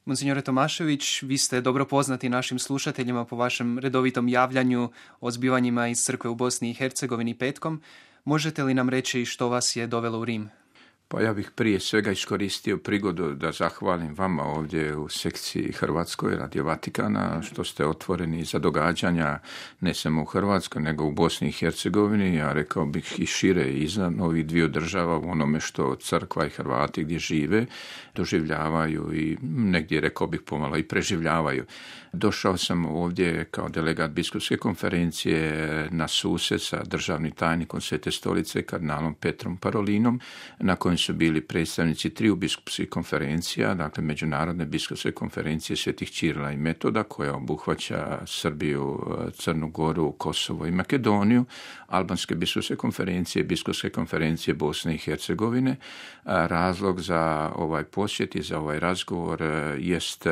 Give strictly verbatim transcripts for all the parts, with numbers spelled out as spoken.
Monsignore Tomašević, vi ste dobro poznati našim slušateljima po vašem redovitom javljanju o zbivanjima iz crkve u Bosni i Hercegovini petkom. Možete li nam reći što vas je dovelo u Rim? Pa ja bih prije svega iskoristio prigodu da zahvalim vama ovdje u sekciji Hrvatskoj Radio Vatikana što ste otvoreni za događanja ne samo u Hrvatskoj nego u Bosni i Hercegovini, a rekao bih i šire izvan ovih dviju država u onome što crkva i Hrvati gdje žive doživljavaju i negdje rekao bih pomalo i preživljavaju. Došao sam ovdje kao delegat biskupske konferencije na susret sa državnim tajnikom Svete stolice kardinalom Petrom Parolinom, na kojem su bili predstavnici triju biskupskih konferencija, dakle Međunarodne biskupske konferencije Svetih Ćirila i Metoda, koja obuhvaća Srbiju, Crnu Goru, Kosovo i Makedoniju, Albanske biskupske konferencije, biskupske konferencije Bosne i Hercegovine. Razlog za ovaj posjet i za ovaj razgovor jest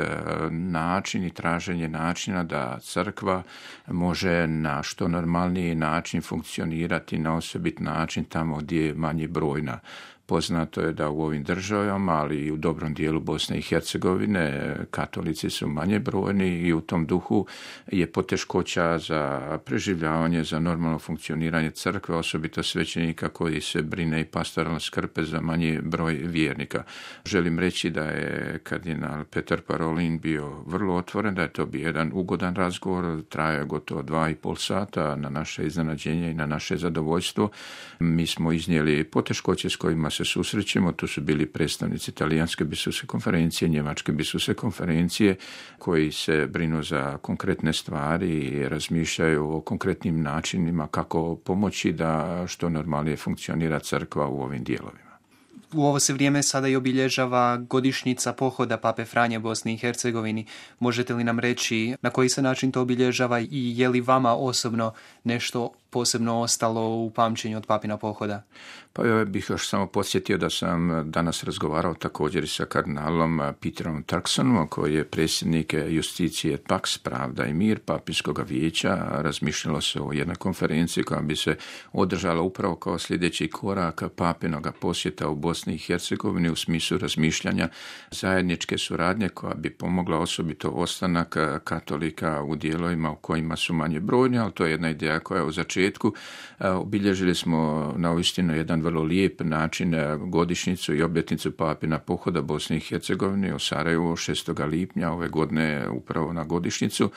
način i traženje načina da crkva može na što normalniji način funkcionirati na osobit način tamo gdje je manje brojna. Poznato je da u ovim državama, ali i u dobrom dijelu Bosne i Hercegovine, katolici su manje brojni i u tom duhu je poteškoća za preživljavanje, za normalno funkcioniranje crkve, osobito svećenika koji se brine i pastoralno skrbe za manji broj vjernika. Želim reći da je kardinal Petar Parolin bio vrlo otvoren, da je to bio jedan ugodan razgovor, trajao gotovo dva i pol sata na naše iznenađenje i na naše zadovoljstvo. Mi smo iznijeli poteškoće s kojima se susrećemo, tu su bili predstavnici Talijanske biskupske konferencije, Njemačke biskupske konferencije, koji se brinu za konkretne stvari i razmišljaju o konkretnim načinima kako pomoći da što normalnije funkcionira crkva u ovim dijelovima. U ovo se vrijeme sada i obilježava godišnjica pohoda Pape Franje Bosni i Hercegovini. Možete li nam reći na koji se način to obilježava i je li vama osobno nešto posebno ostalo u pamćenju od papina pohoda? Pa ja bih još samo podsjetio da sam danas razgovarao također i sa kardinalom Peterom Turksonom, koji je predsjednik Justicije et Pax, Pravda i mir Papinskog vijeća. Razmišljalo se o jednoj konferenciji koja bi se održala upravo kao sljedeći korak papinog posjeta u Bosni i Hercegovini u smislu razmišljanja zajedničke suradnje koja bi pomogla osobito ostanak katolika u dijelovima u kojima su manje brojni, ali to je jedna ideja koja je u začetku. Obilježili smo na uistinu jedan vrlo lijep način godišnjicu i obljetnicu papina pohoda Bosne i Hercegovine u Sarajevu šestog lipnja ove godine upravo na godišnjicu.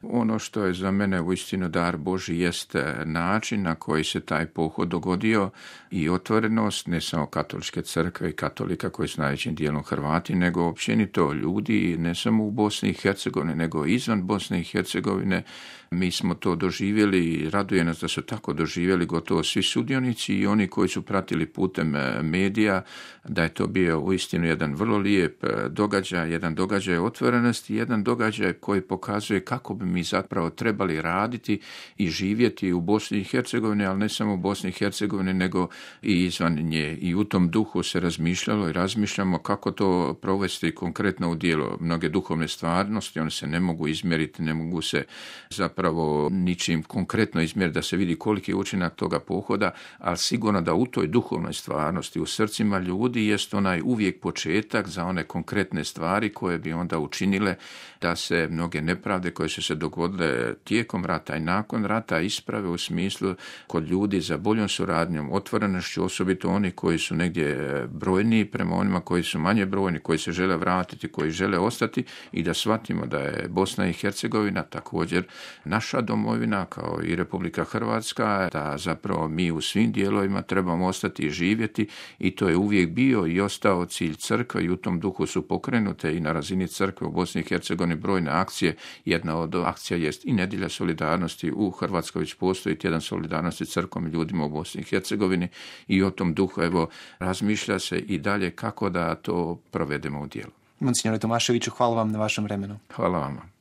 Ono što je za mene uistinu dar Božji jest način na koji se taj pohod dogodio i otvorenost ne samo katoličke crkve i katolika koji su najvećim dijelom Hrvati, nego općenito ljudi ne samo u Bosni i Hercegovini, nego izvan Bosne i Hercegovine. Mi smo to doživjeli i raduje nas da su tako doživjeli gotovo svi sudionici i oni koji su pratili putem medija, da je to bio uistinu jedan vrlo lijep događaj, jedan događaj otvorenosti, jedan događaj koji pokazuje kako bi mi zapravo trebali raditi i živjeti u Bosni i Hercegovini, ali ne samo u Bosni i Hercegovini, nego i izvan nje. I u tom duhu se razmišljalo i razmišljamo kako to provesti konkretno u djelo. Mnoge duhovne stvarnosti, one se ne mogu izmjeriti, ne mogu se zapravo ničim konkretno izmjeriti da se vidi koliki je učinak toga pohoda, ali sigurno da u toj duhovnoj stvarnosti, u srcima ljudi jest onaj uvijek početak za one konkretne stvari koje bi onda učinile da se mnoge nepravde koje su se dogodile tijekom rata i nakon rata isprave u smislu kod ljudi za boljom suradnjom, otvorenošću, osobito oni koji su negdje brojniji prema onima koji su manje brojni, koji se žele vratiti, koji žele ostati i da shvatimo da je Bosna i Hercegovina također naša domovina kao i Republika Hrvatska, da zapravo mi u svim dijelovima trebamo ostati i živjeti i to je uvijek bio i ostao cilj crkve i u tom duhu su pokrenute i na razini crkve u Bosni i Hercegovini brojne akcije. Jedna od akcija jest i nedjelja solidarnosti. U Hrvatskoj već postoji tjedan solidarnosti crkvom i ljudima u Bosni i Hercegovini i o tom duhu evo razmišlja se i dalje kako da to provedemo u djelo. Monsignore Tomaševiću, hvala vam na vašem vremenu. Hvala vama.